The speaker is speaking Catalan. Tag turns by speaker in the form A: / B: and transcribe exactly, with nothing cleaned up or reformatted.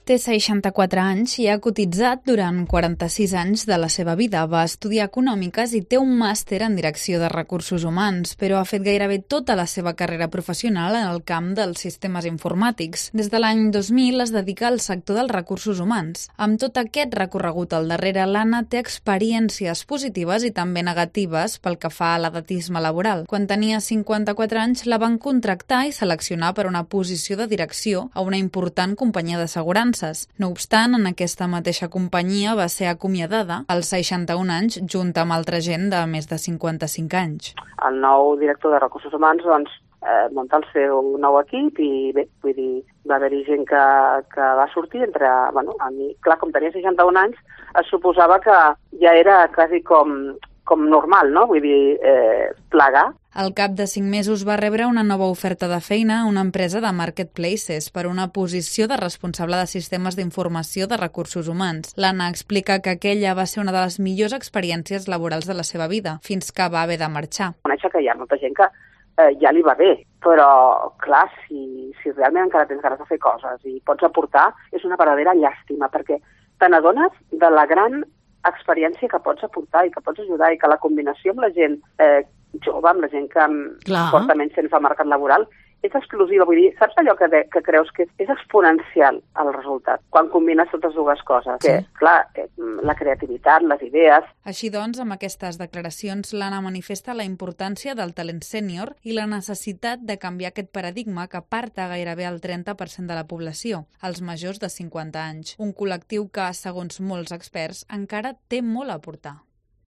A: Té seixanta-quatre anys i ha cotitzat durant quaranta-sis anys de la seva vida. Va estudiar econòmiques i té un màster en direcció de recursos humans, però ha fet gairebé tota la seva carrera professional en el camp dels sistemes informàtics. Des de l'any dos mil es dedica al sector dels recursos humans. Amb tot aquest recorregut al darrere, l'Anna té experiències positives i també negatives pel que fa a l'edatisme laboral. Quan tenia cinquanta-quatre anys la van contractar i seleccionar per una posició de direcció a una important companyia d'assegurances. No obstant, en aquesta mateixa companyia va ser acomiadada als seixanta-un anys junt amb altra gent de més de cinquanta-cinc anys.
B: El nou director de recursos humans doncs, eh, munta el seu nou equip i bé, vull dir, va haver-hi gent que, que va sortir entre... Bueno, a mi, clar, com tenia seixanta-un anys, es suposava que ja era quasi com, com normal, no? Vull dir, eh, plegar.
A: Al cap de cinc mesos va rebre una nova oferta de feina a una empresa de marketplaces per una posició de responsable de sistemes d'informació de recursos humans. L'Anna explica que aquella va ser una de les millors experiències laborals de la seva vida, fins que va haver de marxar.
B: Conèixer que hi ha molta gent que eh, ja li va bé, però, clar, si, si realment encara tens ganes de fer coses i pots aportar, és una verdadera llàstima, perquè te n'adones de la gran experiència que pots aportar i que pots ajudar i que la combinació amb la gent eh, jove, amb la gent que
C: Clar.
B: porta menys temps al mercat laboral, és exclusiva. Vull dir, saps allò que, de, que creus que és, és exponencial el resultat quan combines totes dues coses?
A: Sí.
B: Que, clar, eh, la creativitat, les idees...
A: Així doncs, amb aquestes declaracions, l'Anna manifesta la importància del talent sènior i la necessitat de canviar aquest paradigma que aparta gairebé el trenta per cent de la població, els majors de cinquanta anys. Un col·lectiu que, segons molts experts, encara té molt a aportar.